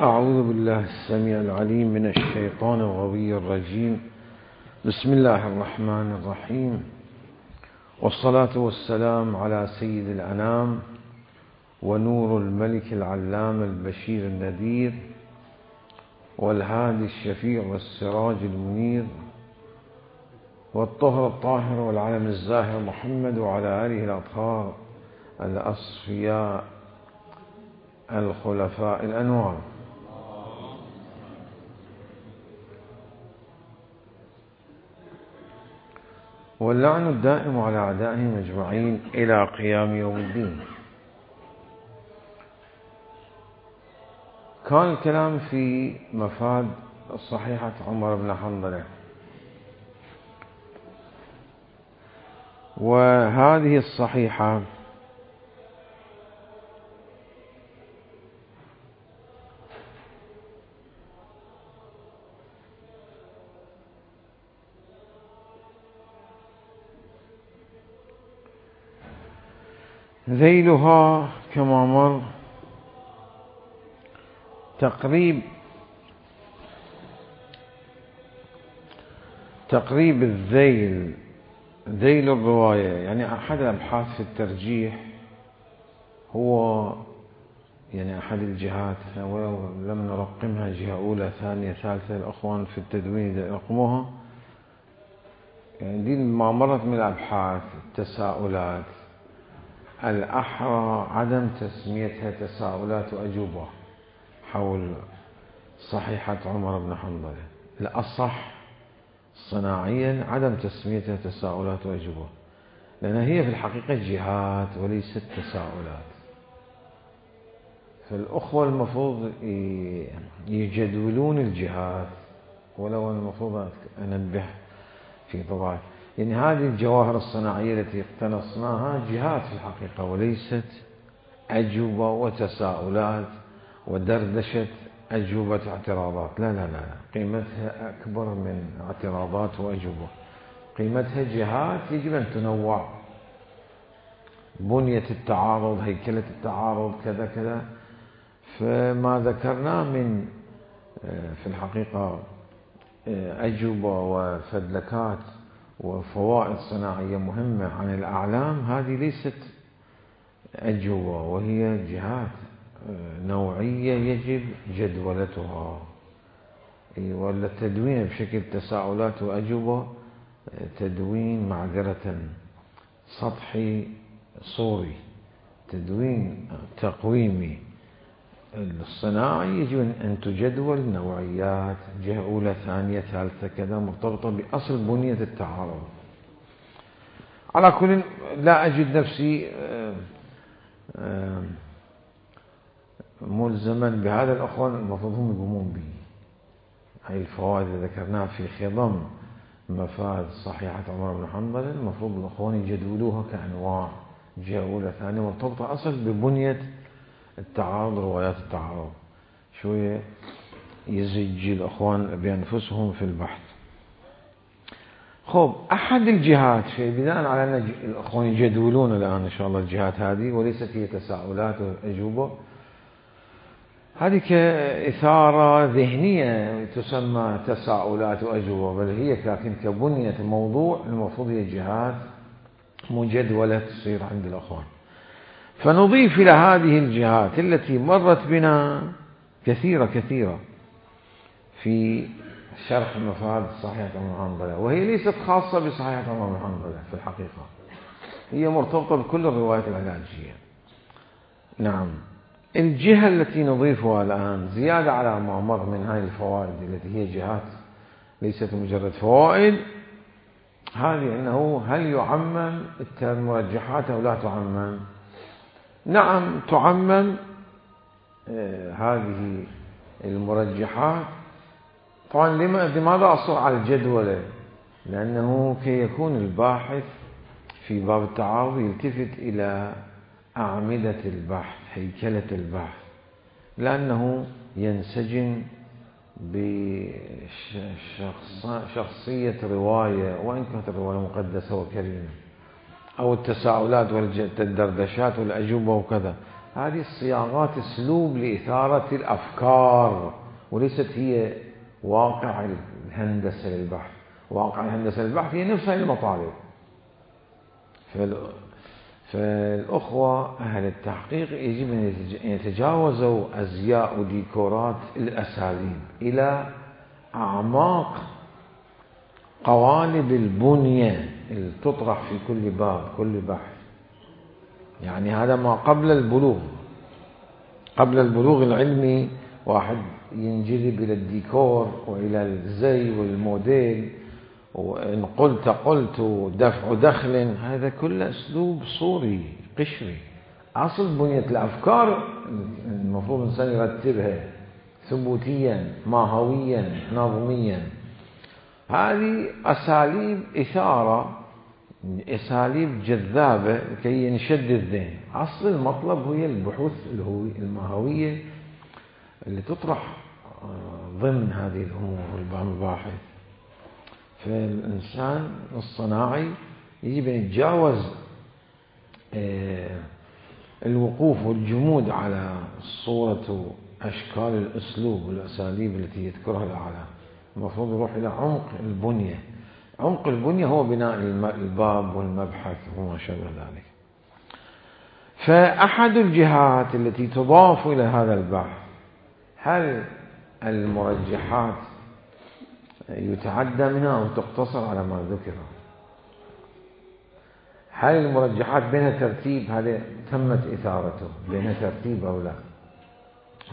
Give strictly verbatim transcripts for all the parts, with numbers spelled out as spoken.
أعوذ بالله السميع العليم من الشيطان الغوي الرجيم. بسم الله الرحمن الرحيم، والصلاة والسلام على سيد الأنام ونور الملك العلام البشير النذير والهادي الشفيع والسراج المنير والطهر الطاهر والعلم الزاهر محمد وعلى آله الأطهار الأصفياء الخلفاء الأنوار. واللعن الدائم على أعدائهم أجمعين إلى قيام يوم الدين. كان الكلام في مفاد صحيحة عمر بن حنظلة، وهذه الصحيحة ذيلها كما مر تقريب تقريب الذيل، ذيل الرواية، يعني أحد الأبحاث في الترجيح هو يعني أحد الجهات، ولم نرقمها جهة أولى ثانية ثالثة، الأخوان في التدوين يرقموها، يعني دي ما مرت من الأبحاث التساؤلات الأحرى عدم تسميتها تساؤلات وأجوبة حول صحيحة عمر بن حنظلة. الأصح صناعيا عدم تسميتها تساؤلات وأجوبة، لأن هي في الحقيقة جهات وليست تساؤلات. فالأخوة المفروض يجدولون الجهات، ولو المفروض أنبه في طبعا يعني هذه الجواهر الصناعية التي اقتنصناها جهات في الحقيقة وليست أجوبة وتساؤلات ودردشة أجوبة اعتراضات. لا لا لا، قيمتها أكبر من اعتراضات وأجوبة، قيمتها جهات يجب أن تنوع، بنية التعارض، هيكلة التعارض، كذا كذا. فما ذكرناه من في الحقيقة أجوبة وفدلكات وفوائد صناعية مهمة عن الأعلام، هذه ليست أجوبة، وهي جهات نوعية يجب جدولتها. ولا التدوين بشكل تساؤلات وأجوبة تدوين معذرة سطحي صوري، تدوين تقويمي. الصناعي يجب أن تجدول نوعيات، جهة أولى ثانية ثالثة كذا، مرتبطة بأصل بنية التعارض. على كل لا أجد نفسي ملزما بهذا، الأخوان المفروض هم يقومون به. هاي الفوائد اللي ذكرناها في خضم مفاد صحيحة عمر بن حنظلة المفروض الأخوان يجدولوها كأنواع، جهة أولى ثانية، مرتبطة أصل ببنية التعارض، روايات التعارض، شوية يزج الأخوان بأنفسهم في البحث. خب، أحد الجهات في بناء على أن الأخوان يجدولون الآن إن شاء الله الجهات هذه، وليست هي تساؤلات وأجوبة، هذه كإثارة ذهنية تسمى تساؤلات وأجوبة، بل هي لكن كبنية الموضوع المفروض هي جهات مجدولة تصير عند الأخوان. فنضيف إلى هذه الجهات التي مرت بنا كثيرة كثيرة في شرح مفاد صحيحة عمر بن حنظلة، وهي ليست خاصة بصحيحة عمر بن حنظلة في الحقيقة، هي مرتبطة بكل الروايات العلاجية. نعم، الجهة التي نضيفها الآن زيادة على ما مر من هذه الفوائد التي هي جهات ليست مجرد فوائد، هذه أنه هل يعمم المرجحات أو لا تعمم؟ نعم تعمم آه هذه المرجحات. طبعا لماذا أصر على الجدولة؟ لأنه كي يكون الباحث في باب التعارض يلتفت إلى أعمدة البحث، هيكلة البحث، لأنه ينسجم بشخصية رواية، وإن كانت الرواية مقدسة وكريمة، أو التساؤلات والدردشات والأجوبة وكذا، هذه الصياغات اسلوب لإثارة الأفكار، وليست هي واقع الهندسة للبحث. واقع الهندسة للبحث هي نفسها المطالب. فالأخوة أهل التحقيق يجب أن يتجاوزوا أزياء وديكورات الأساليب إلى أعماق قوالب البنية اللي تطرح في كل باب كل بحث. يعني هذا ما قبل البلوغ. قبل البلوغ العلمي واحد ينجذب إلى الديكور وإلى الزي والموديل، وإن قلت قلت ودفع دخل، هذا كله أسلوب صوري قشري. أصل بنية الأفكار المفروض الإنسان يرتبها ثبوتيا ماهويا نظميا. هذه أساليب إثارة، أساليب جذابة كي ينشد الذهن. أصل المطلب هي البحوث الماهوية اللي تطرح ضمن هذه الأمور والمباحث. فالإنسان الصناعي يجب أن يتجاوز الوقوف والجمود على صورة أشكال الأسلوب والأساليب التي يذكرها الأعلام. المفروض يروح إلى عمق البنية. عمق البنية هو بناء الباب والمبحث وما شابه ذلك. فأحد الجهات التي تضاف إلى هذا البحث، هل المرجحات يتعدى منها أو تقتصر على ما ذكر؟ هل المرجحات بينها ترتيب؟ هذا تمت إثارته بينها ترتيب أو لا؟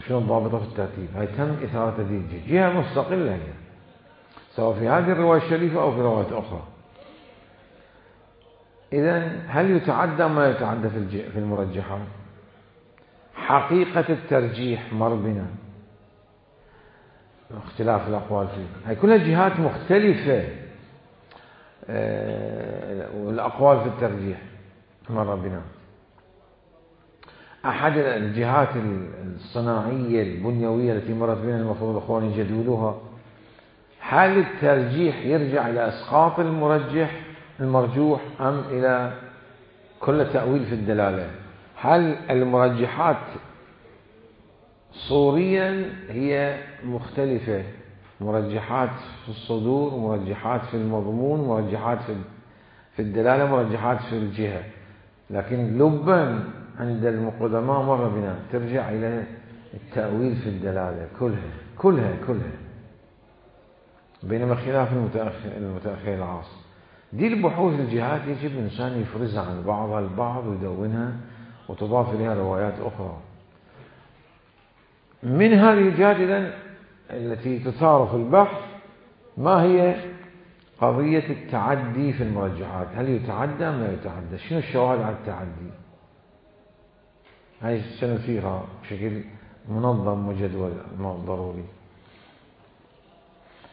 شنو الضابطة في الترتيب؟ هاي تم إثارة هذه الجهة، جهة مستقلة هي، سواء في هذه الرواية الشريفة أو في روايات أخرى. إذن هل يتعدى ما يتعدى في المرجحات؟ حقيقة الترجيح مر بنا، اختلاف الأقوال فيه، هاي كلها جهات مختلفة. والأقوال في الترجيح مر بنا. أحد الجهات الصناعية البنيوية التي مرت بنا المفروض أخوان يجدولوها، هل الترجيح يرجع إلى إسقاط المرجح المرجوح أم إلى كل تأويل في الدلالة؟ هل المرجحات صوريا هي مختلفة، مرجحات في الصدور، مرجحات في المضمون، مرجحات في الدلالة، مرجحات في الجهة، لكن لبا عند المقدماء مر بنا ترجع إلى التأويل في الدلالة كلها كلها كلها، بينما خلاف المتأخر المتأخر العاصر. دي البحوث الجهات يجب الإنسان يفرزها عن بعضها البعض ويدونها وتضاف إليها روايات أخرى. من هذه الجهات إذن التي تثار في البحث، ما هي قضية التعدي في المرجحات؟ هل يتعدى أم لا يتعدى؟ شنو الشواهد على التعدي؟ هاي سنثيرها بشكل منظم وجدول ضروري.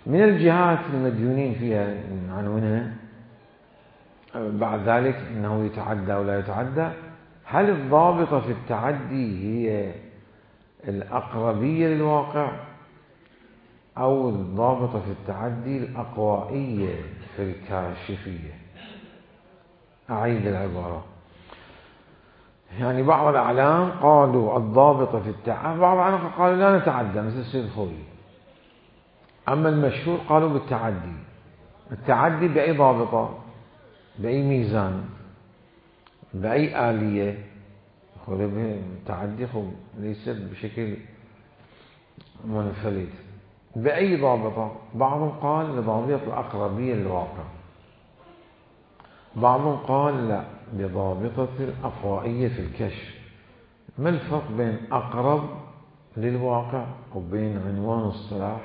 من الجهات المديونين فيها عنوانها بعد ذلك أنه يتعدى ولا يتعدى، هل الضابطة في التعدي هي الأقربية للواقع أو الضابطة في التعدي الأقوائية في الكاشفية؟ أعيد العبارة. يعني بعض الأعلام قالوا الضابطة في التعدي، بعض الأعلام قالوا لا نتعدى مثل السيد الخوي، أما المشهور قالوا بالتعدي. التعدي بأي ضابطة؟ بأي ميزان؟ بأي آلية؟ التعدي ليس بشكل منفلت، بأي ضابطة؟ بعضهم قال لضابطة الأقربية للواقع، بعضهم قال لا بضابطة الأقوائية في الكشف. ما الفرق بين أقرب للواقع وبين عنوان اصطلاح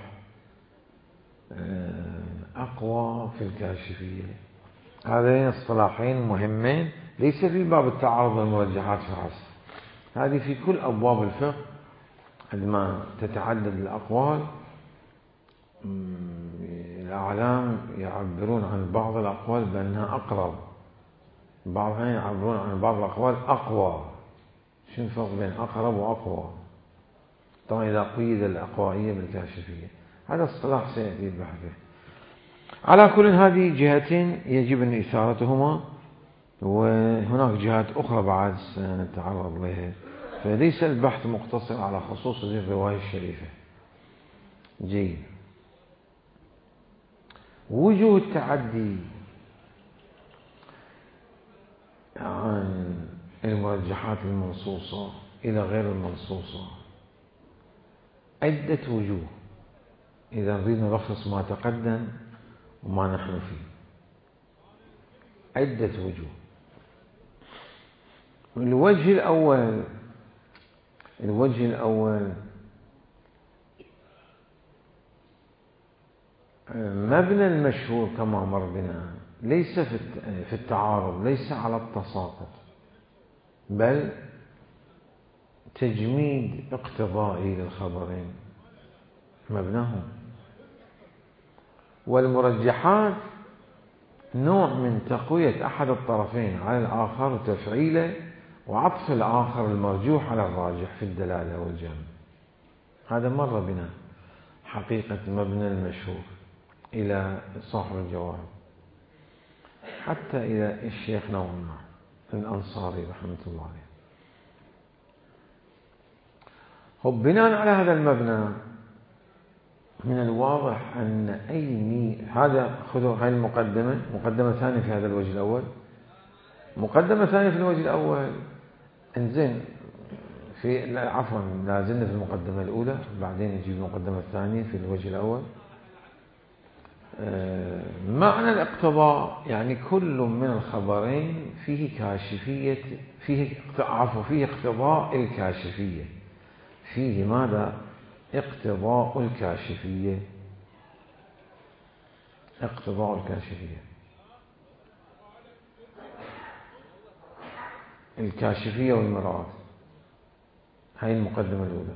أقوى في الكاشفية؟ هذين اصطلاحين مهمين، ليس في باب التعارض والمرجحات فحسب، هذه في كل أبواب الفقه. عندما تتعدد الأقوال الأعلام يعبرون عن بعض الأقوال بأنها أقرب، بعضهم يعبرون عن بعض الأقوال أقوى. شو الفرق بين أقرب وأقوى؟ طبعا إذا قيد الأقوائية بالكاشفية، هذا اصطلاح سيأتي البحث به. على كل هذه جهتين يجب أن إثارتهما، وهناك جهات أخرى بعد سنتعرض لها فليس البحث مقتصر على خصوص هذه الرواية الشريفة. جيد. وجوه التعدي عن المرجحات المنصوصة إلى غير المنصوصة عدة وجوه، إذا نريد نلخص ما تقدم وما نحن فيه. عدة وجوه. الوجه الأول الوجه الأول مبنى المشهور كما مر بنا ليس في التعارض، ليس على التساقط، بل تجميد اقتضائي للخبرين مبناهم. والمرجحات نوع من تقوية أحد الطرفين على الآخر وتفعيله وعطف الآخر المرجوح على الراجح في الدلالة والجمع. هذا مر بنا حقيقة مبنى المشهور إلى صاحب الجواهر، حتى إلى الشيخ نوعا ما الأنصاري رحمة الله عليه. هو بناء على هذا المبنى من الواضح أن أي مي هذا خذوا هاي المقدمة، مقدمة ثانية في هذا الوجه الأول، مقدمة ثانية في الوجه الأول. انزين في لا عفوا لازلنا في المقدمة الأولى، بعدين نجيب المقدمة الثانية في الوجه الأول. معنى الاقتضاء يعني كل من الخبرين فيه كاشفية، فيه عفوا فيه اقتضاء الكاشفية، فيه ماذا؟ اقتضاء الكاشفية، اقتضاء الكاشفية الكاشفية والمراد. هاي المقدمة الأولى.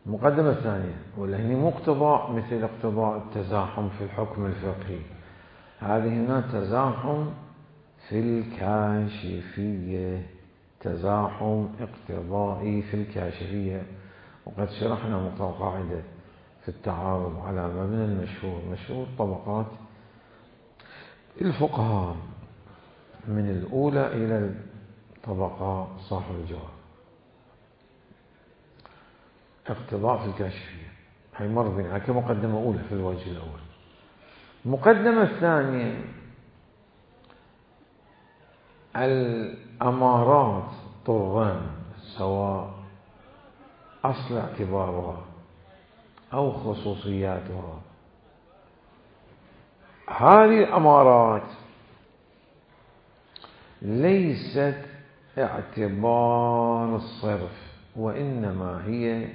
المقدمة الثانية ولا هني مقتضى مثل اقتضاء التزاحم في الحكم الفقهي، هذه هنا تزاحم في الكاشفية، تزاحم اقتضائي في الكاشفية. وقد شرحنا قاعدة في التعارض على مبنى المشهور، مشهور طبقات الفقهاء من الأولى إلى الطبقة صاحب الجواب. اقتضاء في الكاشفية هي مر بنا كمقدمة أولى في الوجه الأول. المقدمة الثانية الأمارات طران سواء أصل اعتبارها أو خصوصياتها. هذه الأمارات ليست اعتبار الصرف، وإنما هي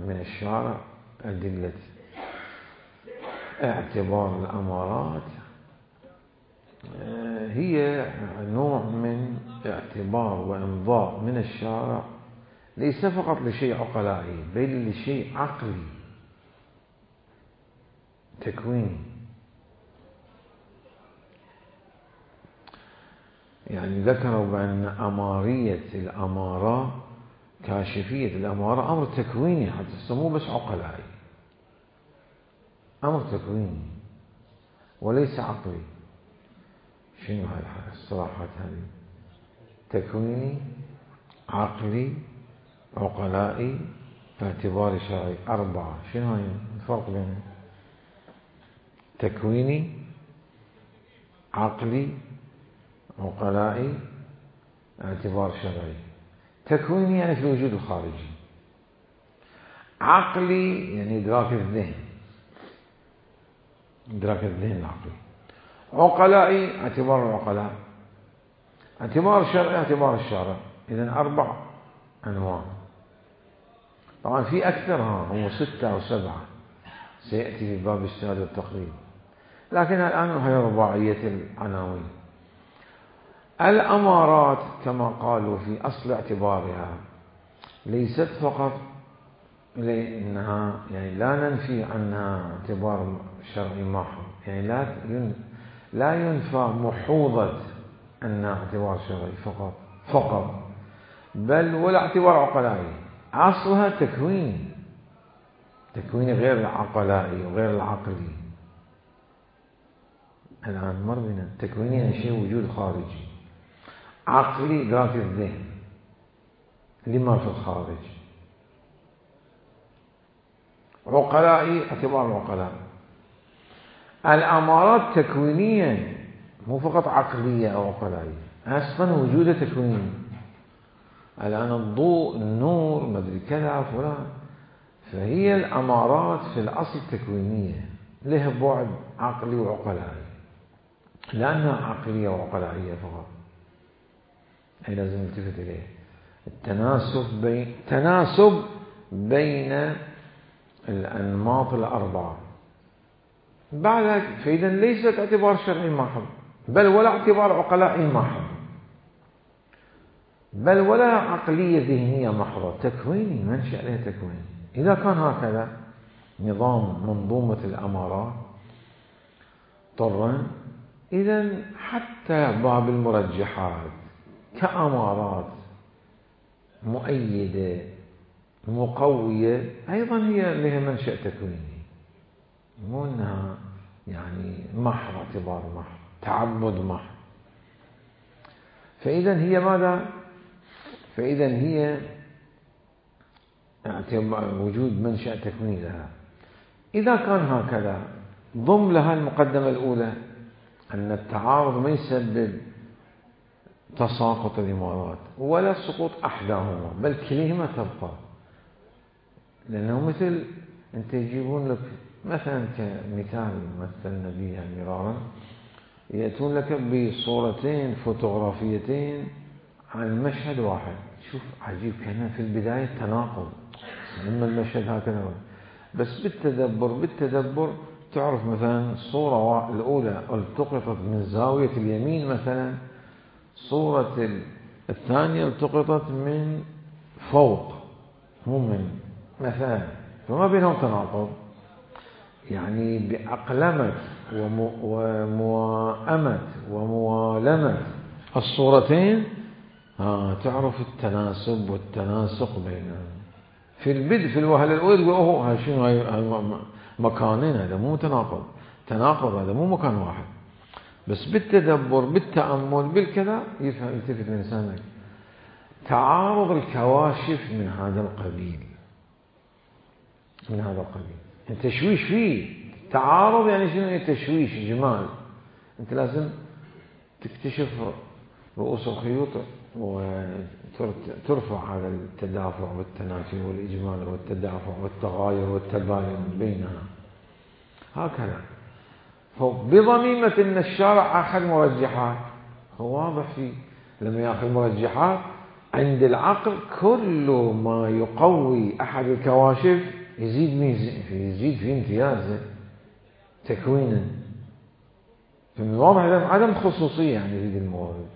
من الشارع أدلة. اعتبار الأمارات هي نوع من اعتبار وإمضاء من الشارع، ليس فقط لشيء عقلائي بل لشيء عقلي تكويني. يعني ذكروا بأن أمارية الأمارة، كاشفية الأمارة أمر تكويني، حتى تسموه بس عقلائي، أمر تكويني وليس عقلي. شنو هاي الصراحات هذه؟ تكويني، عقلي، عقلائي، اعتبار شرعي. أربعة. شنو هاي الفرق بينهم؟ تكويني، عقلي، عقلائي، اعتبار شرعي. تكويني يعني في الوجود الخارجي، عقلي يعني إدراك الذهن، إدراك الذهن العقلي. عقلائي اعتبار العقلاء، اعتبار شرعي اعتبار الشارع. إذن أربع أنواع. طبعا في أكثر، ها هم ستة أو سبعة سيأتي في باب اجتهاد والتقليد، لكن الآن هي رباعية العناوين. الأمارات كما قالوا في أصل اعتبارها ليست فقط لأنها يعني لا ننفي عنها اعتبار شرعي محض، يعني لا لا ينفى محوظة أنها اعتبار شرعي فقط فقط بل ولا اعتبار عقلائي. أصلها تكوين، تكوين غير العقلائي وغير العقلي. الآن مر بنا تكويني يعني شيء وجود خارجي، عقلي إدراك الذهن، لما في الخارج. عقلائي اعتبار العقلاء. الأمارات تكوينية مو فقط عقلية أو عقلائية، أصلا وجوده تكويني. الآن الضوء، النور، مدري كذا فلان، فهي الأمارات في الأصل تكوينية، لها بعد عقلي وعقلائي، لأنها عقلية وعقلائية فقط. هي لازم نلتفت إليه، التناسب بين تناسب بين الأنماط الأربعة. بعد فإذا ليست اعتبار شرعي محض، بل ولا اعتبار عقلائي محض، بل ولا عقلية ذهنية محضة، تكويني، منشأ له تكويني. إذا كان هكذا نظام منظومة الأمارات طرا، إذا حتى باب المرجحات كأمارات مؤيدة مقوية أيضا هي لها منشأ تكويني، مو أنها يعني محض اعتبار محض، تعبد محض. فإذا هي ماذا؟ فإذا هي وجود منشأ تكويني لها. إذا كان هكذا ضم لها المقدمة الأولى أن التعارض ما يسبب تساقط الإمارات ولا سقوط أحداهما، بل كليهما تبقى. لأنه مثل أنت يجيبون لك مثلا كمثال مثلنا بها مرارا، يأتون لك بصورتين فوتوغرافيتين عن مشهد واحد. شوف عجيب، كان في البداية تناقض، إما المشهد هكذا، بس بالتدبر بالتدبر تعرف مثلا الصورة الأولى التقطت من زاوية اليمين مثلا، صورة الثانية التقطت من فوق مو من مثلا، فما بينهم تناقض. يعني بأقلمة وموائمة وموالمة الصورتين ها تعرف التناسب والتناسق بينهم. في البدء في الوهلة الأولى تقول أوه هذا شنو، هاي مكانين، هذا مو تناقض، تناقض هذا مو مكان واحد. بس بالتدبر بالتأمل بالكذا يفهم يلتفت الإنسان تعارض الكواشف من هذا القبيل، من هذا القبيل. التشويش فيه تعارض، يعني شنو تشويش جمال. أنت لازم تكتشف رؤوس الخيوط وترفع هذا التدافع والتنافي والإجمال والتدافع والتغاير والتباين بينها هكذا. بضميمة أن الشارع أخذ مرجحات، هو واضح فيه لما يأخذ مرجحات عند العقل كل ما يقوي أحد الكواشف يزيد ميزة، يزيد في امتيازه تكوينا. فمن واضح عدم خصوصية يعني يريد الموارد،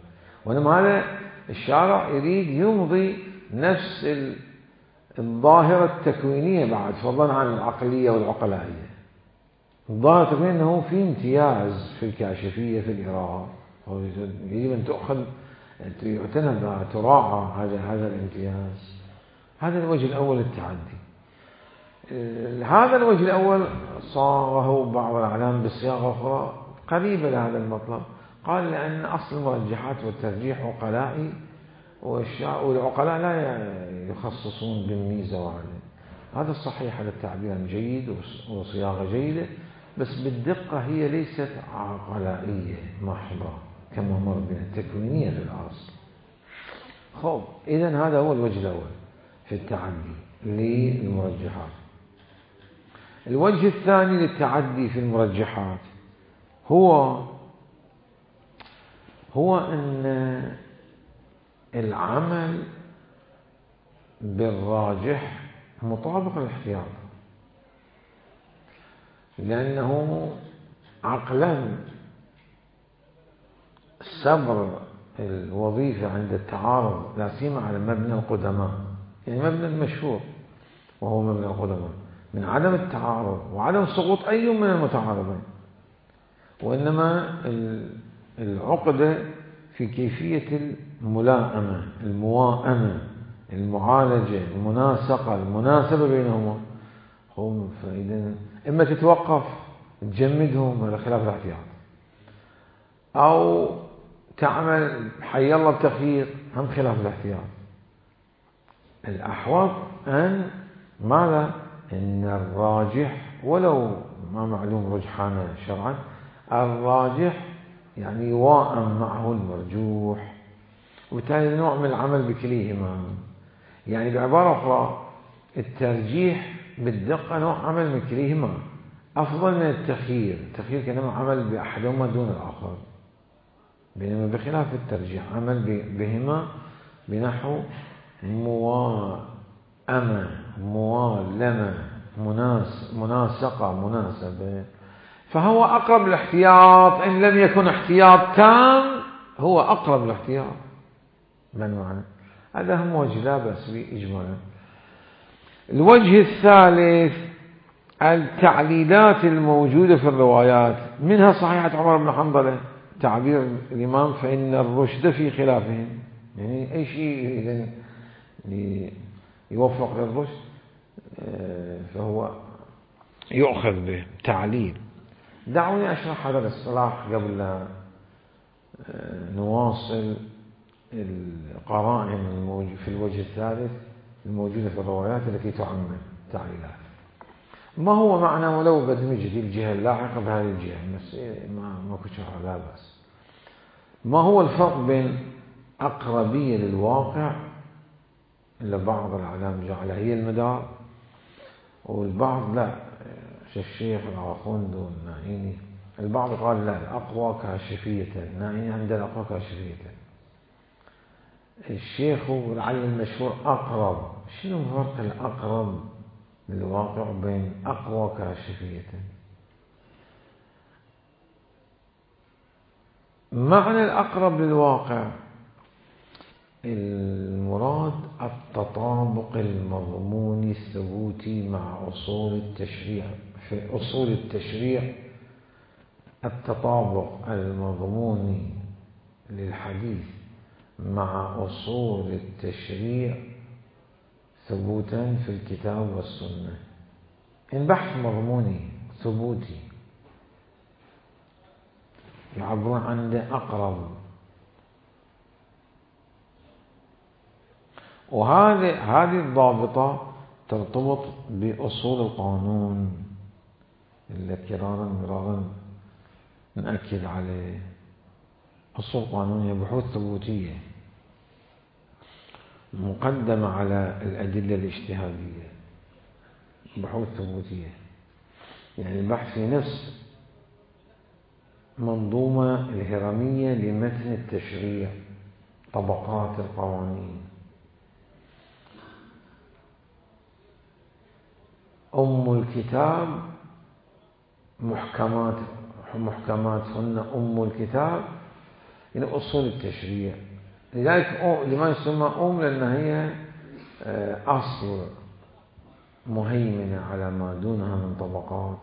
وإنما هذا الشارع يريد يمضي نفس الظاهرة التكوينية بعد، فضلا عن العقلية والعقلائية. الظاهرة التكوينية أنه في امتياز في الكاشفية في الإراءة، يجب أن تأخذ يعتنى بها تراعى هذا هذا الامتياز. هذا الوجه الأول التعدي. هذا الوجه الأول صاغه بعض الأعلام بصياغة أخرى قريبة لهذا المطلب. قال لأن أصل المرجحات والترجيح عقلائي، والعقلاء لا يخصصون بالميزة وعليه. هذا الصحيح، هذا التعبير جيد وصياغة جيدة، بس بالدقة هي ليست عقلائية محضة كما مر بها، تكوينية في الأصل. خب إذن هذا هو الوجه الأول في التعدي للمرجحات. الوجه الثاني للتعدي في المرجحات هو هو أن العمل بالراجح مطابق للاحتياط، لأنه عقلا صبر الوظيفة عند التعارض لا سيما على مبنى القدماء، يعني مبنى المشهور وهو مبنى القدماء من عدم التعارض وعدم سقوط أي من المتعارضين، وإنما العقدة في كيفية الملائمة، المواءمة، المعالجة، المناسقة، المناسبة بينهما. هم فإذا إما تتوقف تجمدهم على خلاف الاحتياط، أو تعمل حي الله بتخيير هم خلاف الاحتياط. الأحوط أن ماذا؟ إن الراجح ولو ما معلوم رجحانه شرعا، الراجح يعني يواءم معه المرجوح، وبالتالي نوع من العمل بكليهما. يعني بعبارة أخرى الترجيح بالدقة نوع عمل من كليهما أفضل من التخيير. التخيير كأنما عمل بأحدهما دون الآخر، بينما بخلاف الترجيح عمل بهما بنحو موائمة، موالمة، مناس مناسقة، مناسبة. فهو أقرب الاحتياط، إن لم يكن احتياط تام هو أقرب الاحتياط. من معنى هذا هم وجه لا بأس به إجمالا. الوجه الثالث التعليلات الموجودة في الروايات، منها صحيحة عمر بن حنظلة تعبير الإمام فإن الرشد في خلافهم، يعني أي شيء يوفق للرشد فهو يؤخذ به تعليل. دعوني أشرح هذا الاصطلاح قبل لا نواصل القرائن في الوجه الثالث الموجودة في الروايات التي تعمم تعليلات. ما هو معنى ولو بدمج الجهة اللاحقة بهذه الجهة، بس ما ما كشرح لا بأس. ما هو الفرق بين أقربية للواقع اللي بعض العلماء جعلها هي المدار، والبعض لا، الشيخ العاخوند والنائيني البعض قال لا، الأقوى كاشفية، النائيني عند الأقوى كاشفية. الشيخ والعلم المشهور أقرب. شنو فرق الأقرب للواقع بين أقوى كاشفية؟ معنى الأقرب للواقع المراد التطابق المضموني الثبوتي مع أصول التشريع. في أصول التشريع التطابق المضموني للحديث مع أصول التشريع ثبوتا في الكتاب والسنة. البحث مضموني ثبوتي يعبرون عن أقرب. وهذه هذه الضابطة ترتبط بأصول القانون اللي كرارا مرارا نأكد عليه. أصول القانون هي بحوث ثبوتية مقدمة على الأدلة الاجتهادية، بحوث ثبوتية يعني البحث في نفس منظومة الهرمية لمتن التشريع، طبقات القوانين. أم الكتاب محكمات محكمات هن أم الكتاب يعني أصول التشريع. لذلك لما يسمى أم لأنها هي أصل مهيمنة على ما دونها من طبقات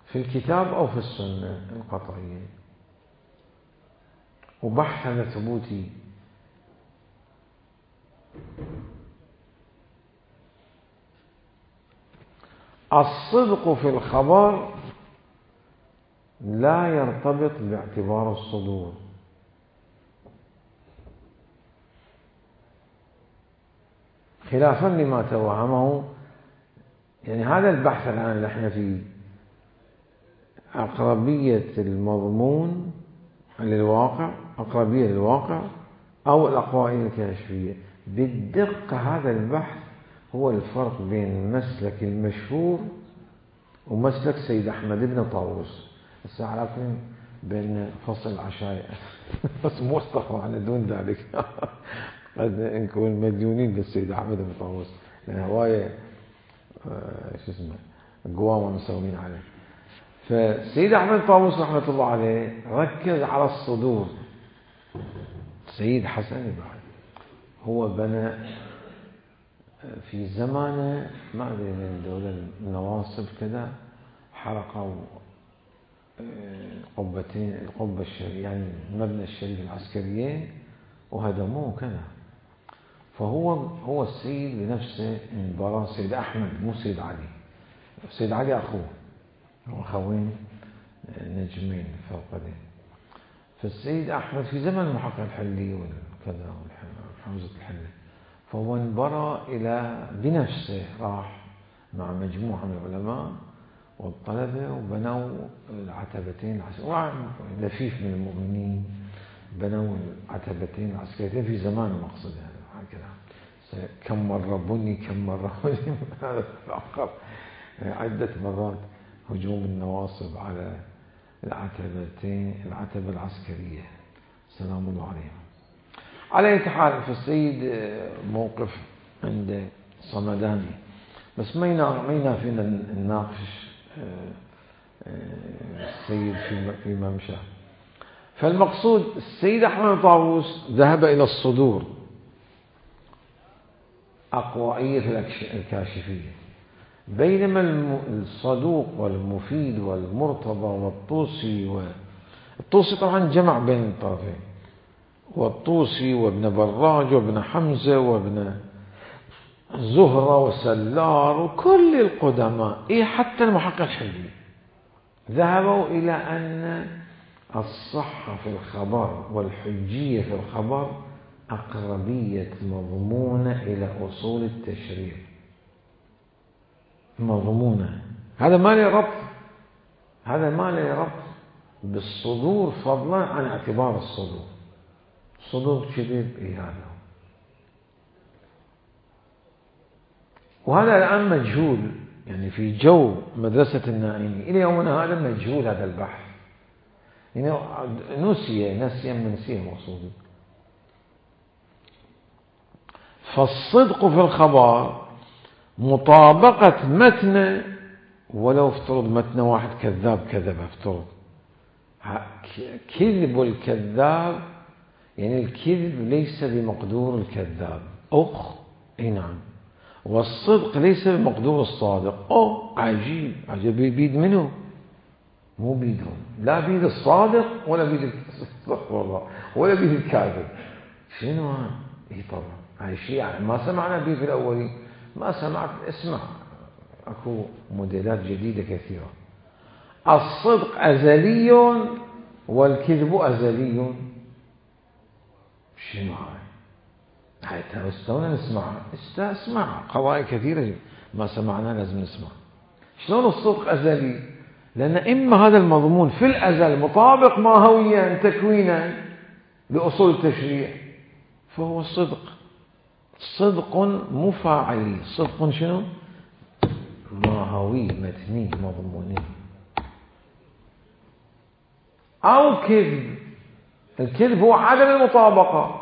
في الكتاب أو في السنة القطعية. وبحث هذا ثبوتي. الصدق في الخبر لا يرتبط باعتبار الصدور. خلافا لما توهمه، يعني هذا البحث الآن اللي احنا فيه أقربية المضمون للواقع، أقربية للواقع أو الأقوائل الكاشفية. بالدقة هذا البحث هو الفرق بين المسلك المشهور ومسلك سيد أحمد بن طاووس. هسه عرفنا بين فصل العشاء بس مو استقرأنا دون ذلك قد نكون مديونين للسيد أحمد بن طاووس لأن هواية شو اسمه قوامة مسوين عليه. فالسيد أحمد طاووس رحمة الله عليه ركز على الصدور. سيد حسن بعد هو بنى في زمانه ما أدري من دولة النواصب كذا حرقوا قبتين القبة الشريف يعني المبنى الشريف العسكريين وهدموه كذا. فهو هو السيد بنفسه انبرى سيد أحمد مو سيد علي. سيد علي أخوه أخوين نجمين فوق ذلك. فالسيد أحمد في زمن المحقق الحلي والكذا حوزة الحلة. فهو انبرى إلى بنفسه، راح مع مجموعة من العلماء والطلبة وبنوا العتبتين العسكريتين، لفيف من المؤمنين بنوا العتبتين العسكريتين في زمان المقصود هكذا. كم مرة بني كم مرة هذا تأخر عدة مرات هجوم النواصب على العتبتين العتبة العسكرية سلام الله عليهم. على أي حال فالسيد موقف عند صمداني، بس ما ينافينا نناقش السيد في ممشى. فالمقصود السيد أحمد طاووس ذهب إلى الصدور أقوائية الكاشفية، بينما الصدوق والمفيد والمرتضى والطوسي و... الطوسي طبعا جمع بين الطرفين، والطوسي وابن براج وابن حمزة وابن زهرة وسلار وكل القدماء، إيه حتى المحقق الحلي ذهبوا إلى أن الصحة في الخبر والحجية في الخبر أقربية مضمونة إلى أصول التشريع، مضمونة. هذا ما له ربط هذا ما له ربط بالصدور فضلا عن اعتبار الصدور. صدور كذب إيه هذا، وهذا الآن مجهول، يعني في جو مدرسة النائمي إلى يومنا هذا مجهول هذا البحث، يعني نسي نسيا منسيه مقصود. فالصدق في الخبر مطابقة متن، ولو افترض متن واحد كذاب كذب، افترض كذب الكذاب، يعني الكذب ليس بمقدور الكذاب، أخ اي نعم، والصدق ليس بمقدور الصادق. أو عجيب عجيب، بيد منه مو بيدهم، لا بيد الصادق ولا بيد والله ولا بيد الكاذب. شنو هذا؟ اي طبعا هاي شيء ما سمعنا به في الأولين، ما سمعت. اسمع، اكو موديلات جديدة كثيرة. الصدق أزلي والكذب أزلي. شنو هاي؟ هاي استونا نسمعها، اسمع قضايا كثيرة ما سمعناها لازم نسمع. شلون الصدق أزلي؟ لأن إما هذا المضمون في الأزل مطابق ماهويا تكوينا لأصول التشريع فهو الصدق، صدق مفاعلي. صدق شنو؟ ماهوي متني مضموني. أو كذب، الكذب هو عدم المطابقة،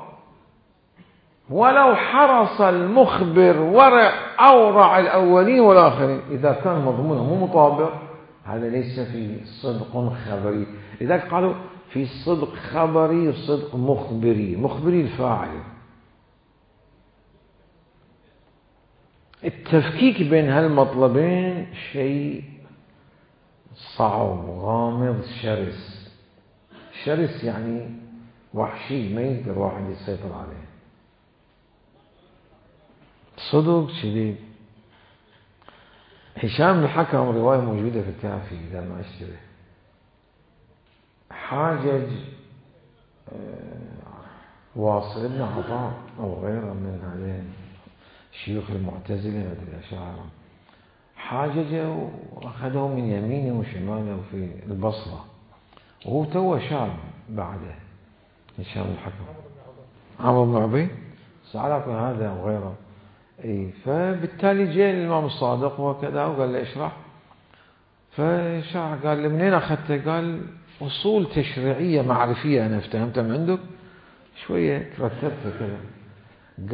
ولو حرص المخبر ورع أورع الأولين والآخرين، إذا كان مضمونه مو مطابق هذا ليس في صدق خبري. لذلك قالوا في صدق خبري وصدق مخبري. مخبري الفاعل. التفكيك بين هالمطلبين شيء صعب غامض شرس. شرس يعني وحشي، ما يقدر واحد يسيطر عليه. صدق شديد. هشام الحكم رواية موجودة في الكافي إذا ما أشتبه، حاجج واصل بن عطاء أو غيره من هذين شيوخ المعتزلة مثل الأشاعرة، حاجج وأخذه من يمينه وشماله في البصرة، وهو تو شاب بعده. هشام الحكم عمرو بن عبيد سألك هذا وغيره. اي فبالتالي جاء الإمام الصادق وكذا وقال له اشرح، فشرح. قال له منين أخذته؟ قال أصول تشريعية معرفية أنا افتهمتها من عندك شوية رتبتها كذا.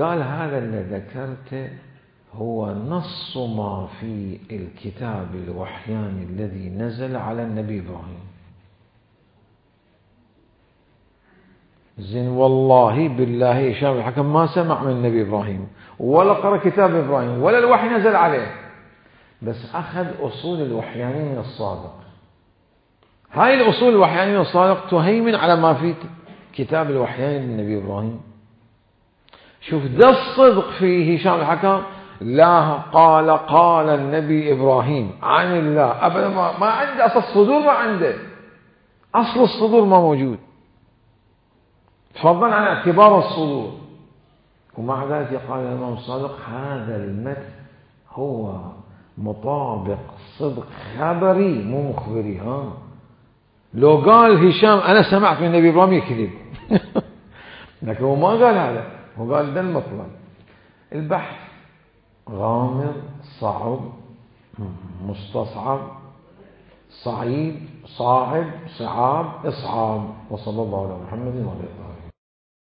قال هذا اللي ذكرته هو نص ما في الكتاب الوحياني الذي نزل على النبي إبراهيم. زين والله بالله هشام الحكم ما سمع من النبي إبراهيم ولا قرأ كتاب إبراهيم ولا الوحي نزل عليه، بس أخذ أصول الوحياني من الصادق. هاي الأصول الوحياني من الصادق تهيمن على ما في كتاب الوحياني للنبي إبراهيم. شوف ده الصدق في هشام الحكم. لا قال قال النبي إبراهيم عن الله أبدا، ما, ما عنده أصل الصدور، ما عنده أصل الصدور ما موجود، فضلا عن اعتبار الصدور. ومع ذلك قال الإمام الصادق هذا المتن هو مطابق صدق خبري مو مخبري. ها لو قال هشام أنا سمعت من النبي إبراهيم يكذب لكن هو ما قال هذا، هو قال ده المطلب. البحث غامض صعب مستصعب صعيد صاعد صعاب إصعاب. وصلى الله على محمد وعلى آله.